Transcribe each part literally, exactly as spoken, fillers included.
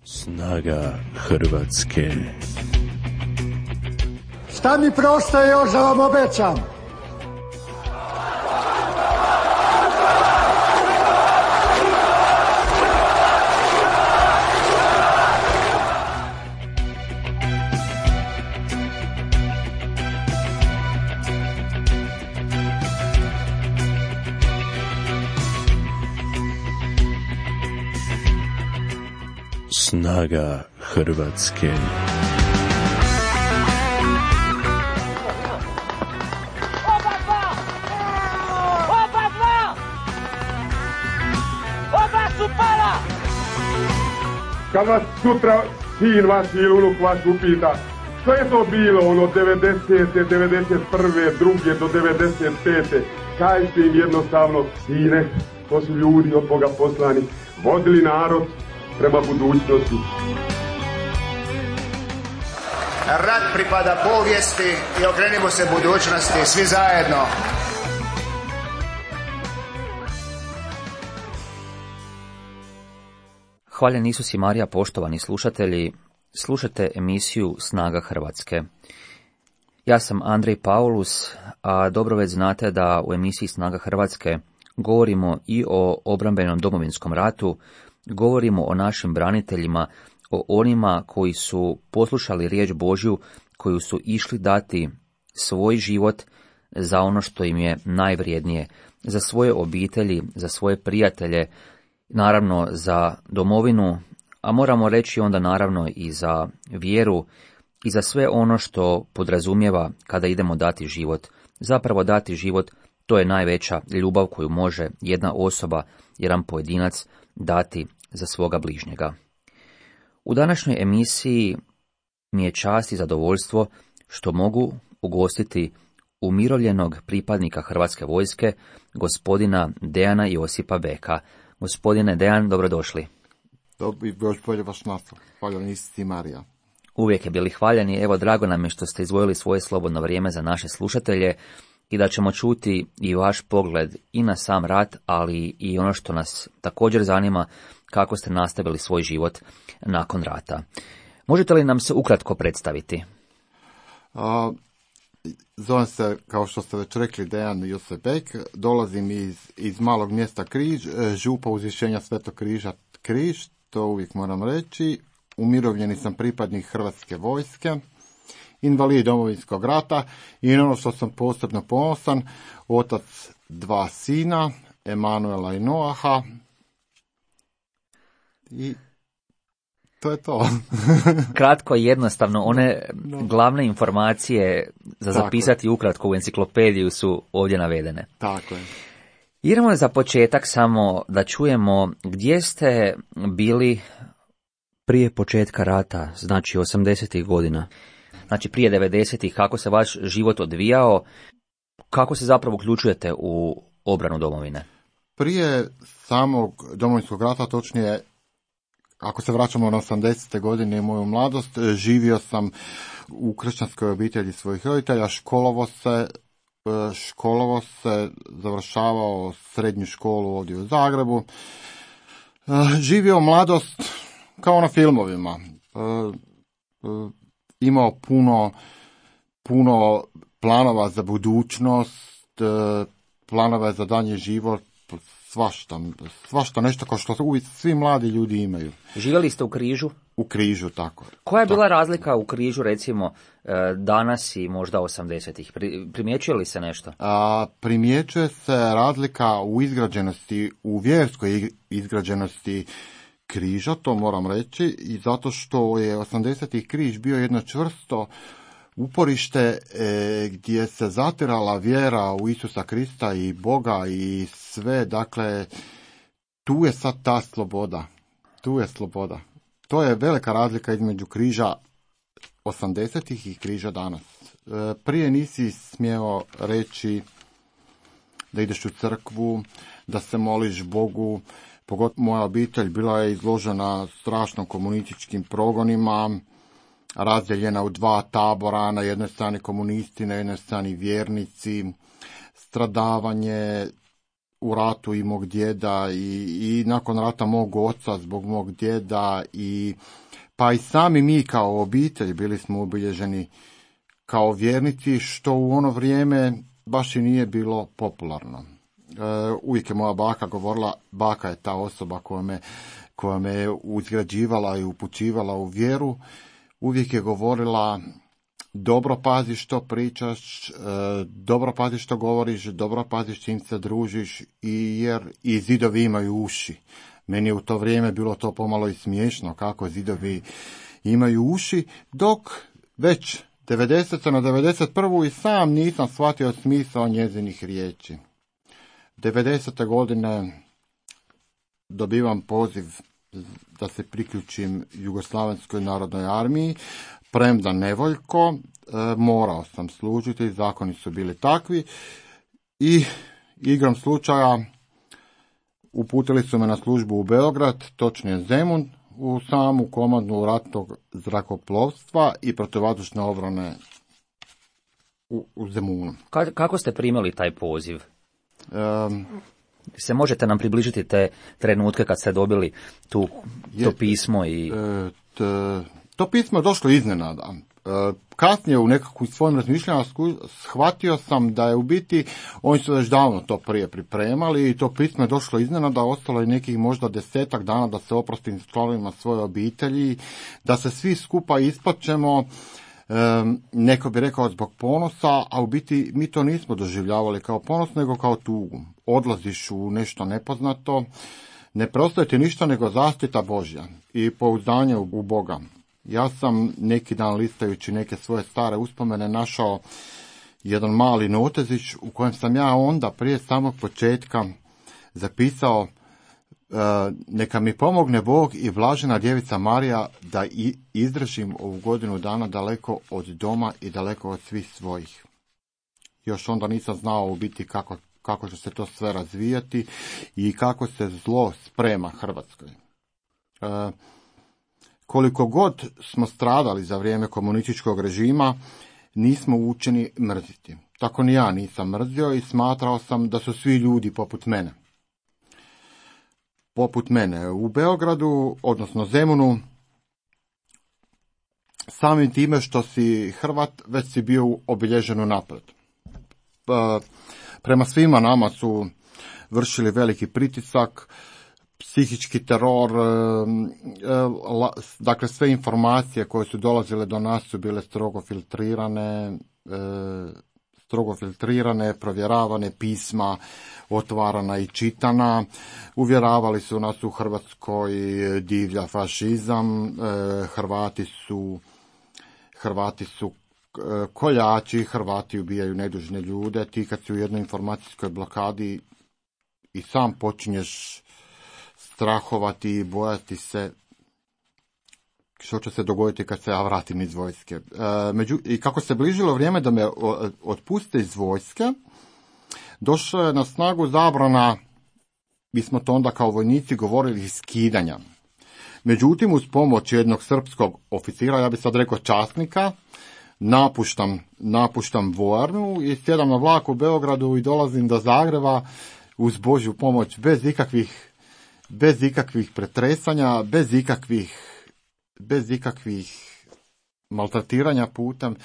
Snaga Hrvatske. Šta mi preostaje još da vam obećam? Snaga Hrvatske. Oba dva! Oba dva! Oba su pala! Kad vas sutra sin vaš ili unuk vaš upita što je to bilo ono devedesete, devedeset prve, druge do devedeset pete, kažite im jednostavno, sine, to su ljudi od Boga poslani, vodili narod prema budućnosti. Rat pripada povijesti i okrenimo se budućnosti, svi zajedno. Hvaljen Isus i Marija, poštovani slušatelji, slušate emisiju Snaga Hrvatske. Ja sam Andrej Paulus, a dobro već znate da u emisiji Snaga Hrvatske govorimo i o obrambenom Domovinskom ratu, govorimo o našim braniteljima, o onima koji su poslušali riječ Božju, koju su išli dati svoj život za ono što im je najvrijednije, za svoje obitelji, za svoje prijatelje, naravno za domovinu, a moramo reći onda naravno i za vjeru i za sve ono što podrazumijeva kada idemo dati život. Zapravo dati život, to je najveća ljubav koju može jedna osoba, jedan pojedinac dati za svoga bližnjega. U današnjoj emisiji mi je čast i zadovoljstvo što mogu ugostiti umirovljenog pripadnika Hrvatske vojske, gospodina Dejana Josipa Beka. Gospodine Dejan, dobrodošli. Dobri, bolje vaš nastav. Hvaljen Isus i Marija. Uvijek je bili hvaljeni. Evo, drago nam je što ste izdvojili svoje slobodno vrijeme za naše slušatelje i da ćemo čuti i vaš pogled i na sam rat, ali i ono što nas također zanima, kako ste nastavili svoj život nakon rata. Možete li nam se ukratko predstaviti? A, zovem se, kao što ste već rekli, Dejan Josip Bek. Dolazim iz, iz malog mjesta Križ, župa Uzvišenja Svetog Križa Križ, to uvijek moram reći. Umirovljeni sam pripadnik Hrvatske vojske, invalid Domovinskog rata i ono što sam posebno ponosan, otac dva sina, Emanuela i Noaha. I to je to. Kratko i jednostavno, one glavne informacije za zapisati Tako. ukratko u enciklopediju su ovdje navedene. Tako je. Idemo za početak samo da čujemo gdje ste bili prije početka rata, znači osamdesetih godina. Znači prije devedesetih, kako se vaš život odvijao, kako se zapravo uključujete u obranu domovine? Prije samog Domovinskog rata, točnije, ako se vraćamo na osamdesete godine i moju mladost, živio sam u kršćanskoj obitelji svojih roditelja, školovo se, školovo se, završavao srednju školu ovdje u Zagrebu, živio mladost kao na filmovima, imao puno, puno planova za budućnost, planova za daljnji život, svašta, svašta nešto kao što uvijek svi mladi ljudi imaju. Živjeli ste u Križu? U Križu, tako. Koja je bila tako. razlika u Križu, recimo, danas i možda osamdesetih? Primjećuje li se nešto? A, primjećuje se razlika u izgrađenosti, u vjerskoj izgrađenosti Križa, to moram reći, i zato što je osamdesetih Križ bio jedno čvrsto uporište e, gdje se zatirala vjera u Isusa Krista i Boga i sve, dakle, tu je sad ta sloboda, tu je sloboda. To je velika razlika između Križa osamdesetih i Križa danas. E, prije nisi smjeo reći da ideš u crkvu, da se moliš Bogu. Pogotovo moja obitelj bila je izložena strašno komunističkim progonima, razdeljena u dva tabora, na jednoj strani komunisti, na jednoj strani vjernici, stradavanje, u ratu i mog djeda i, i nakon rata mog oca zbog mog djeda i pa i sami mi kao obitelj bili smo obilježeni kao vjernici, što u ono vrijeme baš i nije bilo popularno. E, uvijek je moja baka govorila, baka je ta osoba koja me, koja me je uzgrađivala i upućivala u vjeru, uvijek je govorila dobro pazi što pričaš, e, dobro pazi što govoriš, dobro pazi s čim se družiš, i jer i zidovi imaju uši. Meni je u to vrijeme bilo to pomalo i smiješno kako zidovi imaju uši, dok već devedesete na devedeset prvu i sam nisam shvatio smisao njezinih riječi. devedesete godine dobivam poziv da se priključim Jugoslavenskoj narodnoj armiji, premda nevoljko, e, morao sam služiti, zakoni su bili takvi i igrom slučaja uputili su me na službu u Beograd, točnije Zemun, u samu komandnu ratnog zrakoplovstva i protivvazdušne obrane u, u Zemunu. Ka- kako ste primili taj poziv? Um, Se možete nam približiti te trenutke kad ste dobili tu, to pismo? I... E, t, to pismo je došlo iznenada. E, kasnije u nekakvim svojim razmišljanjima shvatio sam da je u biti, oni su već davno to prije pripremali i to pismo je došlo iznenada, ostalo je nekih možda desetak dana da se oprostim članovima svoje obitelji, da se svi skupa isplaćemo, e, neko bi rekao zbog ponosa, a u biti mi to nismo doživljavali kao ponos, nego kao tugu. Odlaziš u nešto nepoznato, ne preostaje ti ništa nego zaštita Božja i pouzdanje u Boga. Ja sam neki dan listajući neke svoje stare uspomene našao jedan mali notezić u kojem sam ja onda prije samog početka zapisao e, neka mi pomogne Bog i blažena djevica Marija da i izdržim ovu godinu dana daleko od doma i daleko od svih svojih. Još onda nisam znao u biti kako, kako će se to sve razvijati i kako se zlo sprema Hrvatskoj. E, Koliko god smo stradali za vrijeme komunističkog režima, nismo učeni mrziti. Tako ni ja nisam mrzio i smatrao sam da su svi ljudi poput mene. Poput mene. U Beogradu, odnosno Zemunu, samim time što si Hrvat, već si bio obilježen unaprijed. Prema svima nama su vršili veliki pritisak, psihički teror, dakle sve informacije koje su dolazile do nas su bile strogo filtrirane, strogo filtrirane, provjeravane, pisma otvarana i čitana. Uvjeravali su nas u Hrvatskoj divlja fašizam, Hrvati su, Hrvati su koljači, Hrvati ubijaju nedužne ljude. Ti kad si u jednoj informacijskoj blokadi i sam počinješ strahovati i bojati se što će se dogoditi kad se ja vratim iz vojske. E, među, I kako se bližilo vrijeme da me otpuste iz vojske, došla je na snagu zabrana, mi smo to onda kao vojnici govorili, skidanja. Međutim, uz pomoć jednog srpskog oficira, ja bih sad rekao časnika, napuštam, napuštam vojarnu i sjedam na vlak u Beogradu i dolazim do Zagreba uz Božju pomoć, bez ikakvih bez ikakvih pretresanja, bez ikakvih, bez ikakvih maltretiranja putem,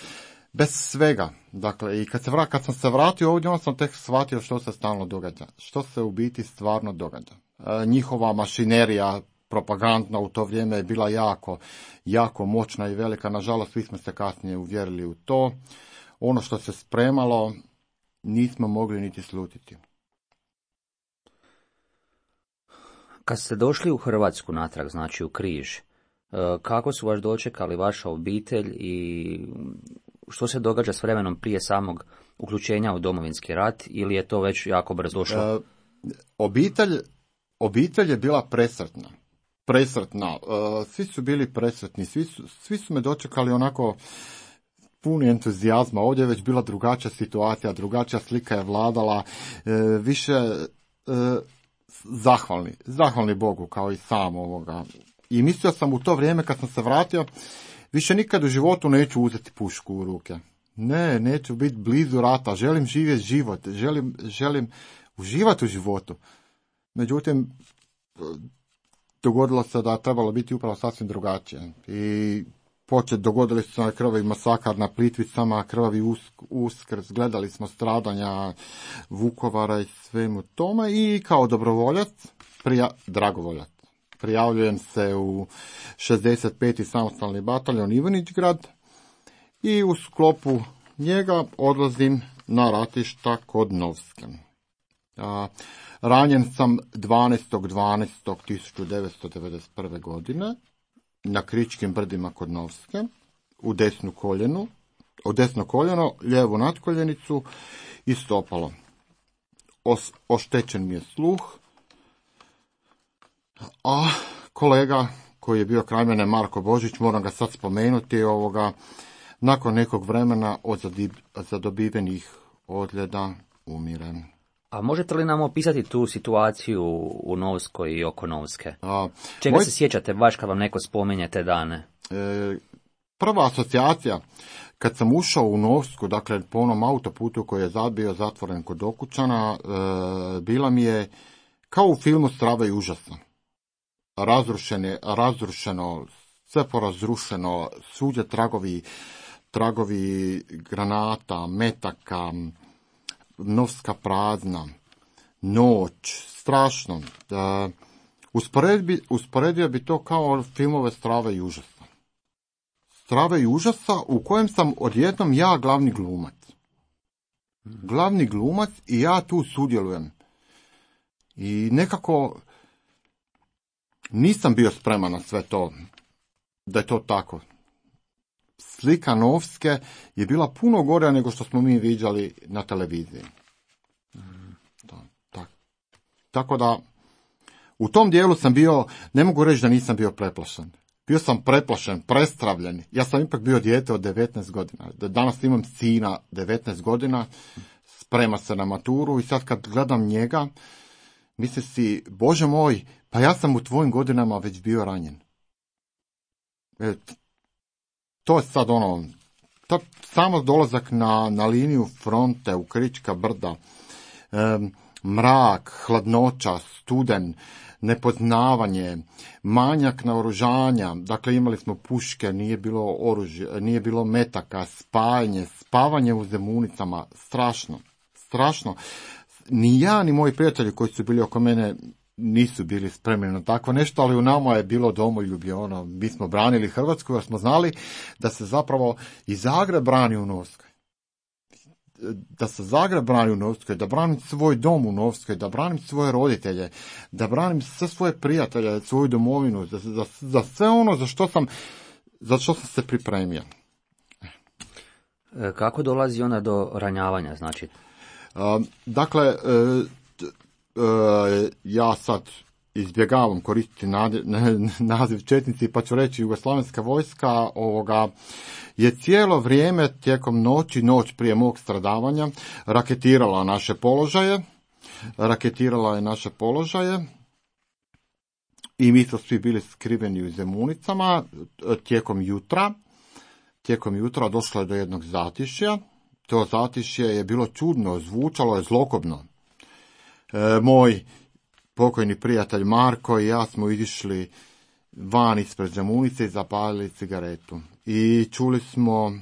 bez svega. Dakle, i kad, se vrat, kad sam se vratio ovdje, on sam tek shvatio što se stalno događa, što se u biti stvarno događa. E, njihova mašinerija propagandna u to vrijeme je bila jako, jako moćna i velika. Nažalost, svi smo se kasnije uvjerili u to. Ono što se spremalo, nismo mogli niti slutiti. Kad ste došli u Hrvatsku natrag, znači u Križ, kako su vas dočekali vaša obitelj i što se događa s vremenom prije samog uključenja u Domovinski rat, ili je to već jako brzo došlo? E, obitelj, obitelj je bila presretna. Presretna. E, svi su bili presretni, svi su, svi su me dočekali onako puni entuzijazma. Ovdje je već bila drugačija situacija, drugačija slika je vladala, e, više e, zahvalni, zahvalni Bogu kao i sam ovoga. I mislio sam u to vrijeme kad sam se vratio, više nikad u životu neću uzeti pušku u ruke. Ne, neću biti blizu rata, želim živjeti život, želim, želim uživati u životu. Međutim, dogodilo se da je trebalo biti upravo sasvim drugačije. I počet, dogodili su se krvavi masakar na Plitvicama, krvavi usk, uskrs, gledali smo stradanja Vukovara i svemu tome i kao dobrovoljac, prija, dragovoljac, prijavljujem se u šezdeset peti samostalni bataljon Ivanić-Grad i u sklopu njega odlazim na ratišta kod Novske. A, ranjen sam dvanaestog dvanaestog tisuću devetsto devedeset prve. godine na Kričkim brdima kod Novske, u desnu koljenu, u desno koljeno, lijevu natkoljenicu i stopalo. Os, oštećen mi je sluh, a kolega koji je bio kraj mene, Marko Božić, moram ga sad spomenuti, ovoga, nakon nekog vremena od zadobivenih odljeda umire. A možete li nam opisati tu situaciju u Novskoj i oko Novske? A, Čega moj... se sjećate baš kad vam neko spominje te dane? E, prva asocijacija, kad sam ušao u Novsku, dakle po onom autoputu koji je zabio zatvoren kod Okučana, e, bila mi je kao u filmu Strava i užasa. Razrušene, razrušeno, sve porazrušeno, svuđe tragovi, tragovi granata, metaka, Novska prazna, noć, strašno. E, usporedbi, usporedio bi to kao filmove Strave i užasa. Strave i užasa u kojem sam odjednom ja glavni glumac. Glavni glumac i ja tu sudjelujem. I nekako nisam bio spreman na sve to, da je to tako. Slika Novske je bila puno gora nego što smo mi viđali na televiziji. Da, tak. Tako da, u tom dijelu sam bio, ne mogu reći da nisam bio preplašen. Bio sam preplašen, prestravljen. Ja sam ipak bio dijete od devetnaest godina. Danas imam sina devetnaest godina, sprema se na maturu i sad kad gledam njega, mislim si, Bože moj, pa ja sam u tvojim godinama već bio ranjen. E, to je sad ono, to, samo dolazak na, na liniju fronte u Krička brda, e, mrak, hladnoća, studen, nepoznavanje, manjak naoružanja, dakle imali smo puške, nije bilo oružje, nije bilo metaka, spajanje, spavanje u zemunicama, strašno, strašno. Ni ja, ni moji prijatelji koji su bili oko mene nisu bili spremni na takvo nešto, ali u nama je bilo domoljublje, ono, mi smo branili Hrvatsku jer smo znali da se zapravo i Zagreb brani u Novskoj. Da se Zagreb brani u Novskoj, da branim svoj dom u Novskoj, da branim svoje roditelje, da branim sve svoje prijatelje, svoju domovinu, za, za, za sve ono za što sam, za što sam se pripremio. Kako dolazi onda do ranjavanja, znači? Uh, dakle, uh, uh, ja sad izbjegavam koristiti naziv, naziv četnici, pa ću reći jugoslavenska vojska ovoga je cijelo vrijeme tijekom noći, noć prije mog stradavanja, raketirala naše položaje, raketirala je naše položaje i mi smo svi bili skriveni u zemunicama. Tijekom jutra, tijekom jutra došlo je do jednog zatišja. To zatišje je bilo čudno, zvučalo je zlokobno. E, moj pokojni prijatelj Marko i ja smo izišli van ispred zemunice i zapalili cigaretu. I čuli smo,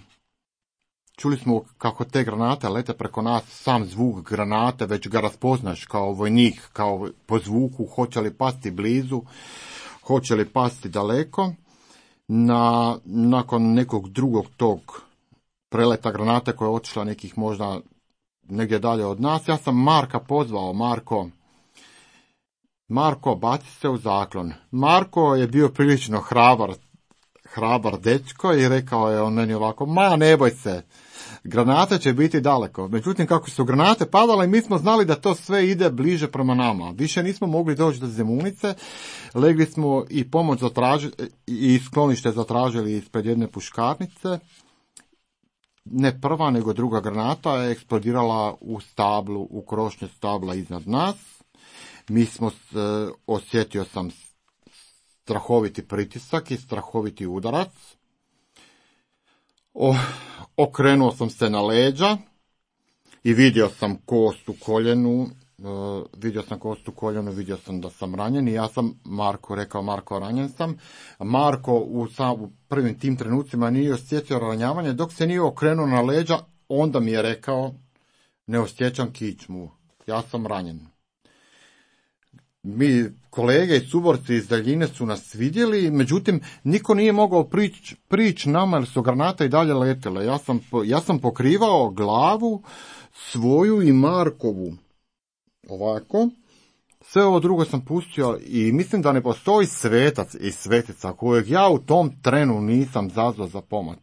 čuli smo kako te granate lete preko nas, sam zvuk granate, već ga raspoznaš kao vojnik, kao po zvuku, hoće li pasti blizu, hoće li pasti daleko. Na, nakon nekog drugog tog preleta granate koja je otišla nekih možda negdje dalje od nas, ja sam Marka pozvao, Marko, Marko, baci se u zaklon. Marko je bio prilično hrabar, hrabar dečko i rekao je on meni ovako, ma ne boj se, granate će biti daleko. Međutim, kako su granate padale, mi smo znali da to sve ide bliže prema nama. Više nismo mogli doći do zemunice, legli smo i pomoć zatražili, i sklonište zatražili ispred jedne puškarnice. Ne prva, nego druga granata je eksplodirala u stablu, u krošnje stabla iznad nas. Mi smo, osjetio sam strahoviti pritisak i strahoviti udarac. O, okrenuo sam se na leđa i vidio sam kost u koljenu, Uh, vidio sam kostu koljenu, vidio sam da sam ranjen i ja sam Marko rekao, Marko, ranjen sam. Marko u, sam, u prvim tim trenucima nije osjetio ranjavanje, dok se nije okrenuo na leđa, onda mi je rekao, ne osjećam kičmu, ja sam ranjen. Mi, kolege i suborci iz daljine su nas vidjeli, međutim, niko nije mogao prići prić nama jer su granate i dalje letele. Ja sam, ja sam pokrivao glavu svoju i Markovu. Ovako. Sve ovo drugo sam pustio i mislim da ne postoji svetac i svetica kojeg ja u tom trenu nisam zazvao za pomoć.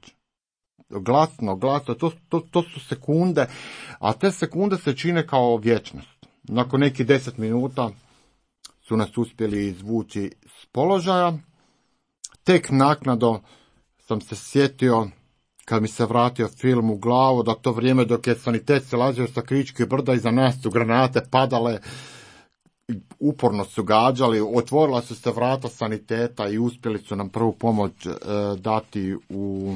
Glasno, glasno, to, to, to su sekunde, a te sekunde se čine kao vječnost. Nakon nekih deset minuta su nas uspjeli izvući s položaja. Tek naknadno sam se sjetio, kad mi se vratio film u glavu, da to vrijeme dok je sanitet se lazio sa Kričkih brda, iza nas su granate padale, uporno su gađali, otvorila su se vrata saniteta i uspjeli su nam prvu pomoć e, dati u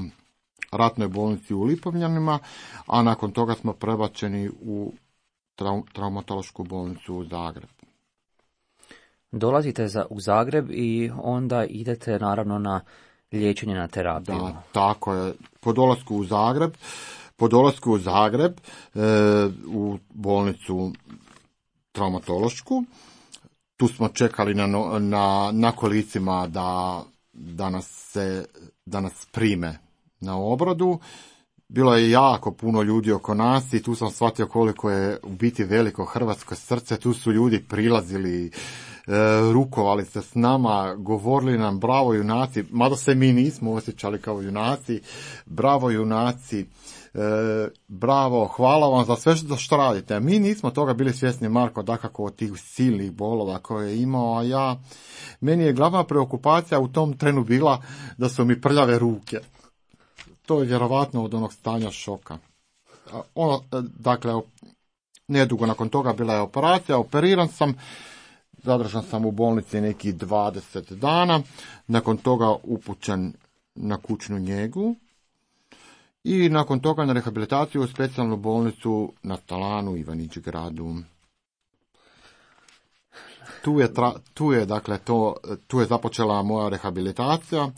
ratnoj bolnici u Lipovljanima, a nakon toga smo prebačeni u trau, traumatološku bolnicu u Zagreb. Dolazite za, u Zagreb i onda idete naravno na liječenje, na terapiju. Da, tako je. Po dolasku u Zagreb, po dolasku u Zagreb e, u bolnicu traumatološku, tu smo čekali na, na, na kolicima da, da, nas se, da nas prime na obradu. Bilo je jako puno ljudi oko nas i tu sam shvatio koliko je u biti veliko hrvatsko srce. Tu su ljudi prilazili, e, rukovali se s nama, govorili nam bravo junaci, mada se mi nismo osjećali kao junaci, bravo junaci, e, bravo, hvala vam za sve što, što radite. Mi nismo toga bili svjesni, Marko, dakako od tih silnih bolova koje je imao, a ja, meni je glavna preokupacija u tom trenu bila da su mi prljave ruke. To je vjerovatno od onog stanja šoka. Ono, dakle, nedugo nakon toga bila je operacija, operiran sam, zadržan sam u bolnici nekih dvadeset dana, nakon toga upućen na kućnu njegu i nakon toga na rehabilitaciju u specijalnu bolnicu na Talanu, Ivanić gradu. Tu je, tra, tu je, dakle, to, tu je započela moja rehabilitacija,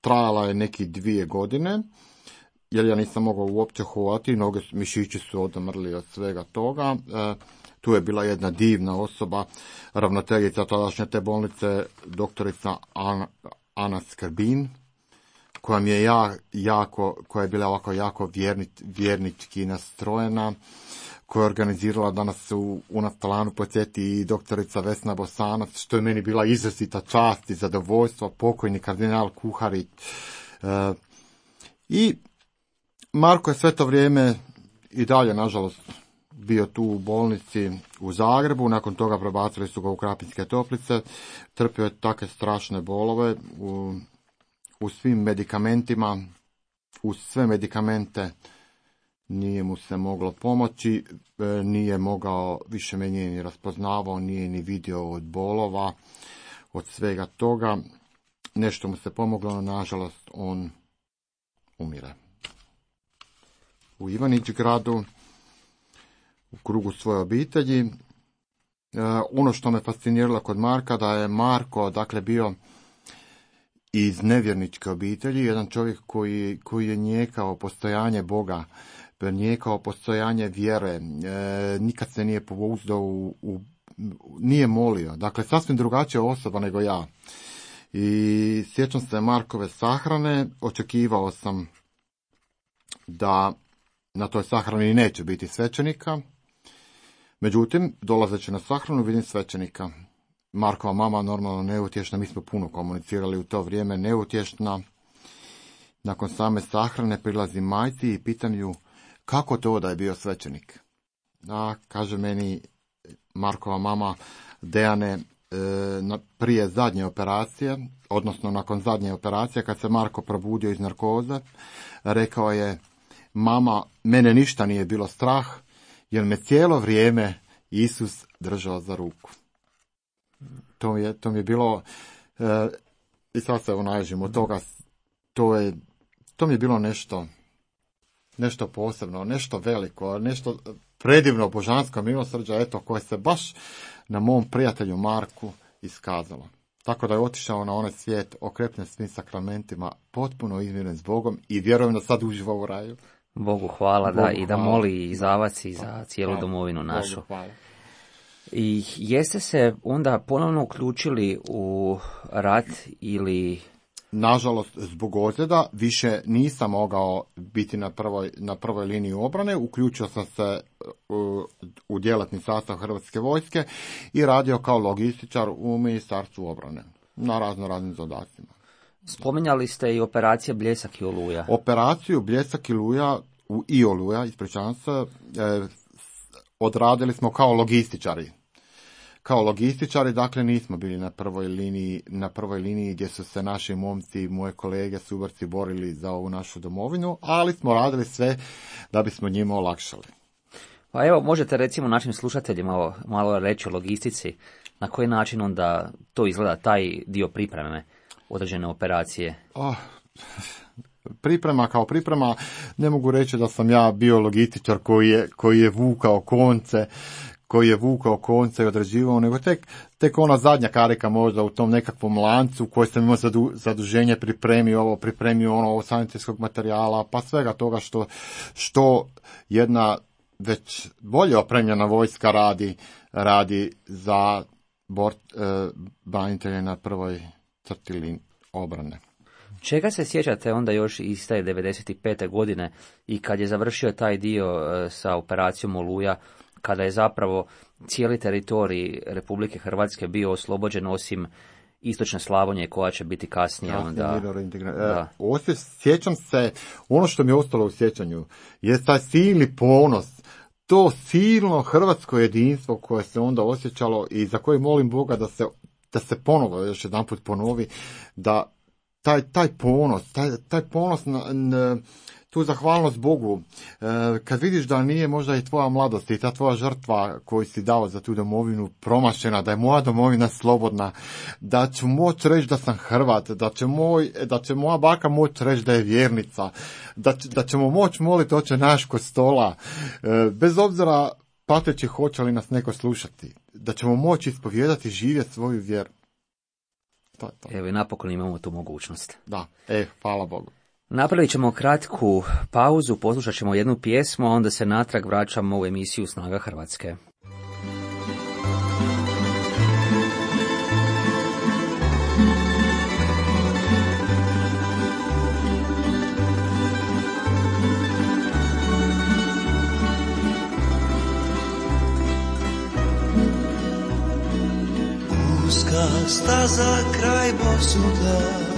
trajala je neki dvije godine, jer ja nisam mogao uopće hodati, noge, mišići su odmrli od svega toga. E, tu je bila jedna divna osoba, ravnateljica tadašnje te bolnice, doktorica Ana, Ana Skrbin, koja mi je ja, jako, koja je bila ovako jako vjerni, vjernički nastrojena, koja je organizirala da nas u, u Talanu posjeti i doktorica Vesna Bosanac, što je meni bila izrazita čast i zadovoljstvo, pokojni kardinal Kuharić. E, I Marko je sve to vrijeme i dalje, nažalost, bio tu u bolnici u Zagrebu, nakon toga prebacili su ga u Krapinske Toplice, trpio je takve strašne bolove, u, u svim medikamentima, uz sve medikamente nije mu se moglo pomoći, nije mogao, više me nije ni raspoznavao, nije ni vidio od bolova, od svega toga. Nešto mu se pomoglo, no nažalost on umire. U Ivanić gradu, u krugu svoje obitelji. E, ono što me fasciniralo kod Marka, da je Marko, dakle, bio iz nevjerničke obitelji, jedan čovjek koji, koji je njekao postojanje Boga, njekao postojanje vjere, e, nikad se nije pouzdao u, u, nije molio, dakle, sasvim drugačija osoba nego ja. I sjećam se Markove sahrane, očekivao sam da na toj sahrani neće biti svećenika, međutim, dolazeći na sahranu vidim svećenika. Markova mama normalno neutješna, mi smo puno komunicirali u to vrijeme, neutješna. Nakon same sahrane prilazi majci i pitam ju kako to da je bio svećenik. A, kaže meni Markova mama, Dejane, e, prije zadnje operacije, odnosno nakon zadnje operacije, kad se Marko probudio iz narkoze, rekao je, mama, mene ništa nije bilo strah, jer me cijelo vrijeme Isus držao za ruku. To je, to mi je bilo, e, i sad se naježim od toga, to je, to mi je bilo nešto, nešto posebno, nešto veliko, nešto, predivno božansko milosrđe, eto, koje se baš na mom prijatelju Marku iskazalo. Tako da je otišao na onaj svijet okrepljen svim sakramentima, potpuno izmiren s Bogom i vjerujem da sad uživa u raju. Bogu hvala, Bogu da, i da hvala. moli i za vas i za cijelu Hvala. domovinu našu. Bogu hvala. I jeste se onda ponovno uključili u rat ili... Nažalost, zbog ozljeda više nisam mogao biti na prvoj, na prvoj liniji obrane. Uključio sam se u, u djelatni sastav Hrvatske vojske i radio kao logističar u Ministarstvu obrane na razno raznim zadacima. Spominjali ste i operacije Bljesak i Oluja. Operaciju Bljesak i Oluja, u i Oluja, ispričavam se, e, odradili smo kao logističari. Kao logističari, dakle, nismo bili na prvoj liniji, na prvoj liniji gdje su se naši momci, moje kolege, suborci borili za ovu našu domovinu, ali smo radili sve da bismo njima olakšali. Pa evo, možete recimo našim slušateljima malo, malo reći o logistici, na koji način onda to izgleda, taj dio pripreme određene operacije? Oh, priprema kao priprema, ne mogu reći da sam ja bio logističar koji je, koji je vukao konce, koji je vukao konce i određivao, nego tek, tek ona zadnja karika možda u tom nekakvom lancu koji sam imao zadu, zaduženje, pripremio ovo, pripremio ono, ovo sanitetskog materijala, pa svega toga što, što jedna već bolje opremljena vojska radi, radi za bort, e, branitelje na prvoj crti obrane. Čega se sjećate onda još iz te devedeset pete godine i kad je završio taj dio e, sa operacijom Oluja, kada je zapravo cijeli teritorij Republike Hrvatske bio oslobođen osim istočne Slavonije koja će biti kasnije onda... Da. E, sjećam se, ono što mi je ostalo u sjećanju je taj silni ponos, to silno hrvatsko jedinstvo koje se onda osjećalo i za koje molim Boga da se, da se ponovo još jedan put ponovi, da taj, taj ponos, taj, taj ponos na, na tu zahvalnost Bogu, e, kad vidiš da nije možda i tvoja mladost i ta tvoja žrtva koju si dao za tu domovinu promašena, da je moja domovina slobodna, da ću moći reći da sam Hrvat, da će, moj, da će moja baka moći reći da je vjernica, da, da ćemo moći moliti Oče naš kod stola, e, bez obzira pateći hoće li nas neko slušati, da ćemo moći ispovijedati i živjeti svoju vjeru. To je to. Evo i napokon imamo tu mogućnost. Da, e, hvala Bogu. Napravit ćemo kratku pauzu, poslušat ćemo jednu pjesmu, a onda se natrag vraćamo u emisiju Snaga Hrvatske. Uska staza kraj Bosuda,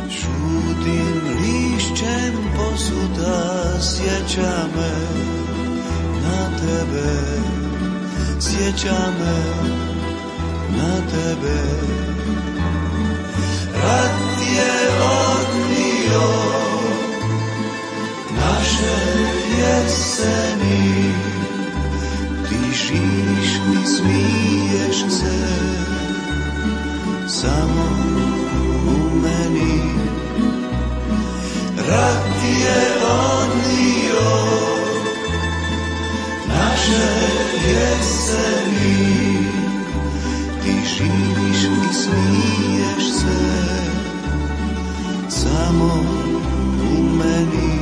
žutim lišćem posuda, sjeća me na tebe, sjeća me na tebe. Rat je odnio naše jeseni, ti živiš mi, smiješ se samo u meni. Rat je odnio naše jeseni, ti živiš i smiješ se samo u meni.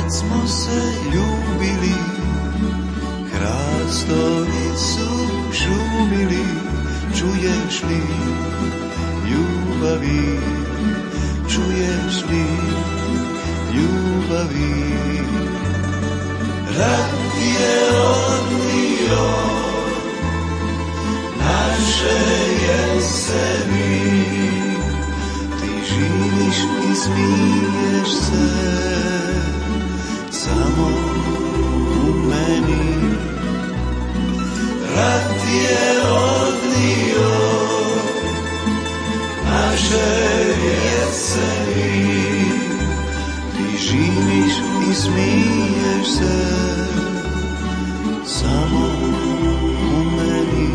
Smo se ljubili, hrastovi su šumili, čuješ li ljubavi, čuješ li ljubavi. Rat je odnio naše jeseni, ti živiš i smiješ se samo u meni. Rat je odnio naše jeseni, smiješ se samo u meni.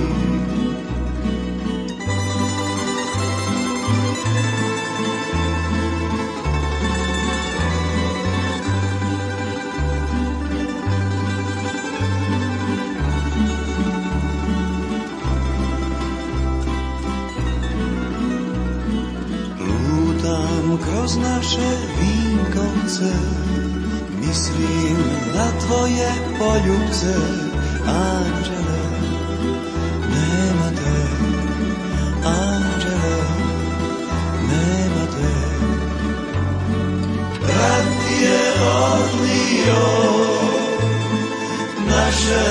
Lutam kroz naše vinkovce, mislim na tvoje poljubce, anđele, nema te, anđele, nema te. Rat je odnio naše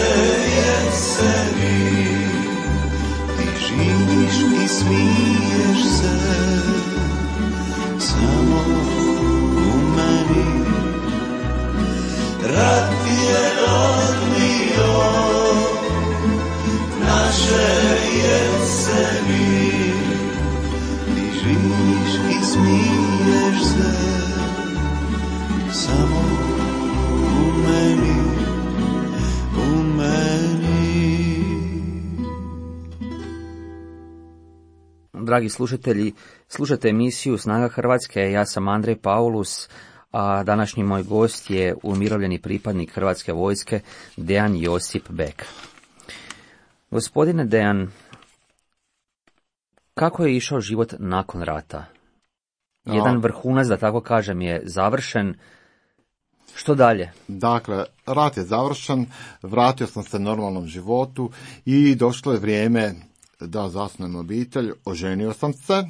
jeseni, ti živiš i smiješ se samo u meni. Rat je odnio naše jeseni, ti živiš i smiješ se samo u meni, u meni. Dragi slušatelji, slušate emisiju Snaga Hrvatske, ja sam Andrej Paulus, a današnji moj gost je umirovljeni pripadnik Hrvatske vojske Dejan Josip Bek. Gospodine Dejan, kako je išao život nakon rata? Jedan vrhunac, da tako kažem, je završen. Što dalje? Dakle, rat je završen, vratio sam se normalnom životu i došlo je vrijeme da zasnujem obitelj, oženio sam se.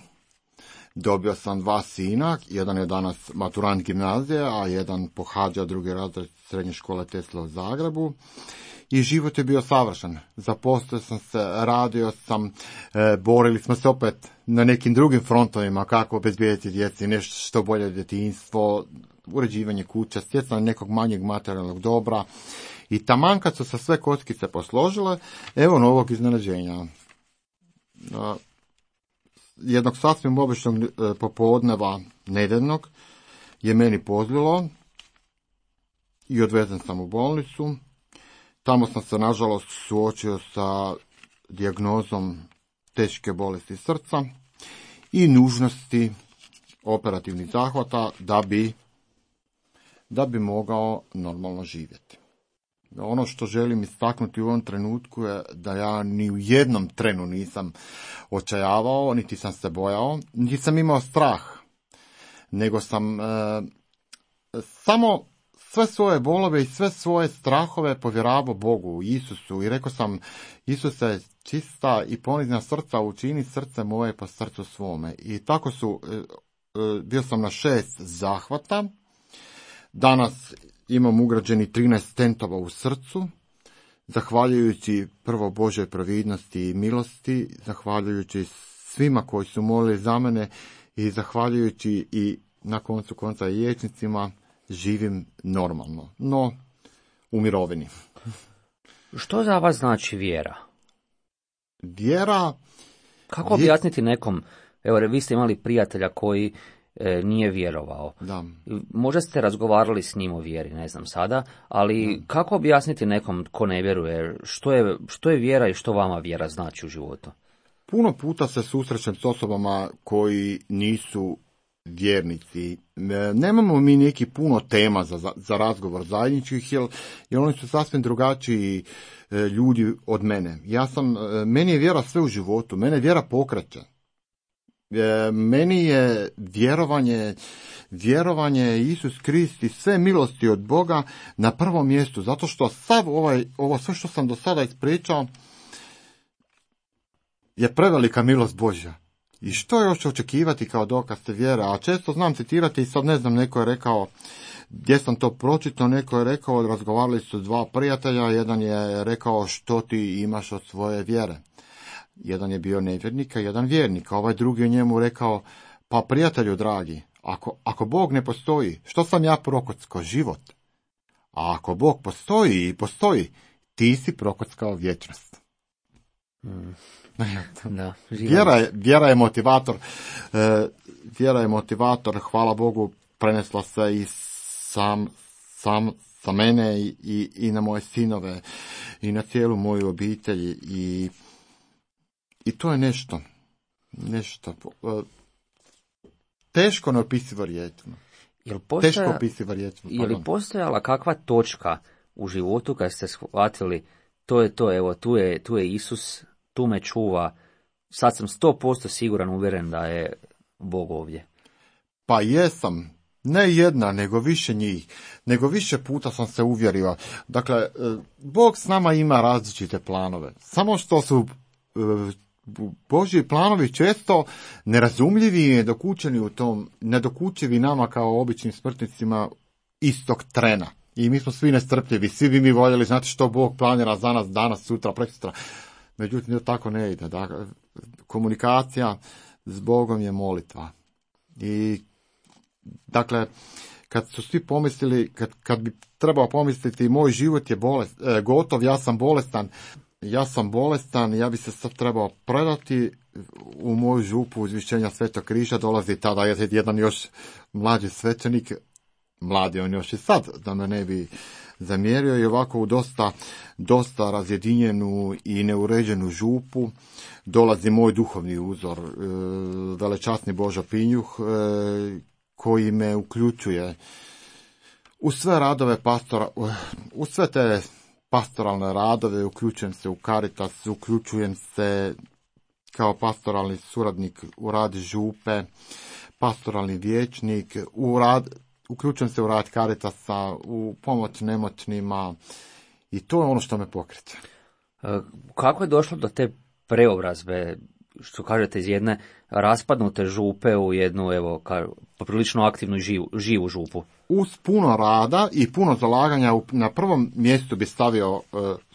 Dobio sam dva sina, jedan je danas maturant gimnazije, a jedan pohađa drugi razred srednje škole Tesla u Zagrebu. I život je bio savršen. Zaposlio sam se, radio sam, e, borili smo se opet na nekim drugim frontovima, kako obezbijediti djeci nešto što bolje djetinjstvo, uređivanje kuća, stjecanje nekog manjeg materijalnog dobra. I taman kad su se sve kockice posložile, evo novog iznenađenja. E, jednog sasvim običnog popodneva nedeljnog je meni pozlilo i odvezen sam u bolnicu. Tamo sam se nažalost suočio sa dijagnozom teške bolesti srca i nužnosti operativnih zahvata da bi, da bi mogao normalno živjeti. Ono što želim istaknuti u ovom trenutku je da ja ni u jednom trenu nisam očajavao, niti sam se bojao, niti sam imao strah, nego sam e, samo sve svoje bolove i sve svoje strahove povjeravao Bogu, Isusu, i rekao sam: Isuse, čista i ponizna srca učini srce moje po srcu svome. I tako su, e, e, bio sam na šest zahvata. Danas imam ugrađeni trinaest stentova u srcu, zahvaljujući prvo Božoj providnosti i milosti, zahvaljujući svima koji su molili za mene i zahvaljujući i na koncu konca i liječnicima, živim normalno, no u mirovini. Što za vas znači vjera? Vjera... Kako objasniti nekom, evo vi ste imali prijatelja koji e, nije vjerovao. Da. Možda ste razgovarali s njim o vjeri, ne znam sada, ali da. Kako objasniti nekom ko ne vjeruje, što je, što je vjera i što vama vjera znači u životu? Puno puta se susrećem s osobama koji nisu vjernici. Nemamo mi neki puno tema za, za razgovor zajedničkih, jer, jer oni su sasvim drugačiji e, ljudi od mene. Ja sam, e, meni je vjera sve u životu, mene vjera pokreće. E, meni je vjerovanje, vjerovanje Isus Krist i sve milosti od Boga na prvom mjestu, zato što sav ovaj, ovo sve što sam do sada ispričao je prevelika milost Božja. I što još očekivati kao dokaz te vjere? A često znam citirati i sad ne znam, neko je rekao, gdje sam to pročitao, neko je rekao, razgovarali su dva prijatelja, jedan je rekao što ti imaš od svoje vjere. Jedan je bio nevjernik, a jedan vjernik, a ovaj drugi je njemu rekao, pa prijatelju dragi, ako, ako Bog ne postoji, što sam ja prokockao? Život. A ako Bog postoji i postoji, ti si prokockao vječnost. Mm. Da, vjera, je, vjera je motivator. E, vjera je motivator, hvala Bogu, prenesla se i sam sam, sa mene i, i, i na moje sinove i na cijelu moju obitelj i, i to je nešto, nešto teško neopisivo riječima. Jel postoja, teško opisivo riječima. Je li postojala kakva točka u životu kad ste shvatili to je to, evo, tu je, tu je Isus, tu me čuva, sad sam sto posto siguran, uvjeren da je Bog ovdje? Pa jesam, ne jedna, nego više njih, nego više puta sam se uvjerio. Dakle, Bog s nama ima različite planove, samo što su Božji planovi često nerazumljivi i nedokučeni u tom, nedokučivi nama kao običnim smrtnicima istog trena. I mi smo svi nestrpljivi, svi bi mi voljeli znati što Bog planira za nas danas, sutra, prekosutra. Međutim, to tako ne ide. Dakle, komunikacija s Bogom je molitva. I, dakle, kad su svi pomislili, kad, kad bi trebao pomisliti moj život je bolest, e, gotov, ja sam bolestan, ja sam bolestan, ja bi se sad trebao predati u moju župu uzvišenja Svetog križa, dolazi tada jedan još mlađi svećenik, mladi on još i sad, da me ne bi zamjerio, i ovako u dosta, dosta razjedinjenu i neuređenu župu dolazi moj duhovni uzor, e, velečasni Božo Pinjuh, e, koji me uključuje u sve radove pastora, u sve te pastoralne radove, uključujem se u Caritas, uključujem se kao pastoralni suradnik u rad župe, pastoralni vijećnik, u rad, uključujem se u rad Caritasa, u pomoć nemoćnima, i to je ono što me pokreće. Kako je došlo do te preobrazbe, što kažete, iz jedne raspadnute župe u jednu, evo, poprilično aktivnu živu, živu župu? Uz puno rada i puno zalaganja na prvom mjestu bi stavio,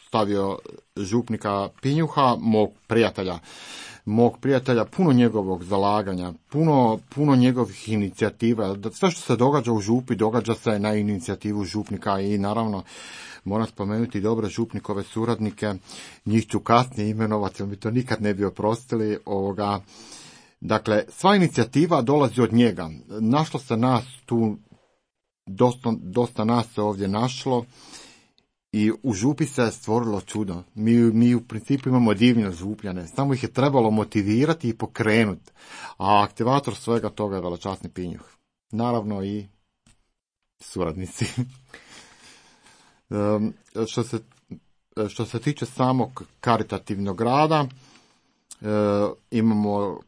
stavio župnika Pinjuha, mog prijatelja. Mog prijatelja, puno njegovog zalaganja, puno, puno njegovih inicijativa. Sve što se događa u župi, događa se na inicijativu župnika i naravno moram spomenuti dobre župnikove suradnike, njih ću kasnije imenovati, jer mi to nikad ne bi oprostili. Ovoga. Dakle, sva inicijativa dolazi od njega. Našlo se nas tu, dosta, dosta nas se ovdje našlo i u župi se stvorilo čudo. Mi, mi u principu imamo divne župljane, samo ih je trebalo motivirati i pokrenuti. A aktivator svega toga je velečasni Pinjuh. Naravno i suradnici. Um, što se, što se tiče samog karitativnog rada, uh, imamo,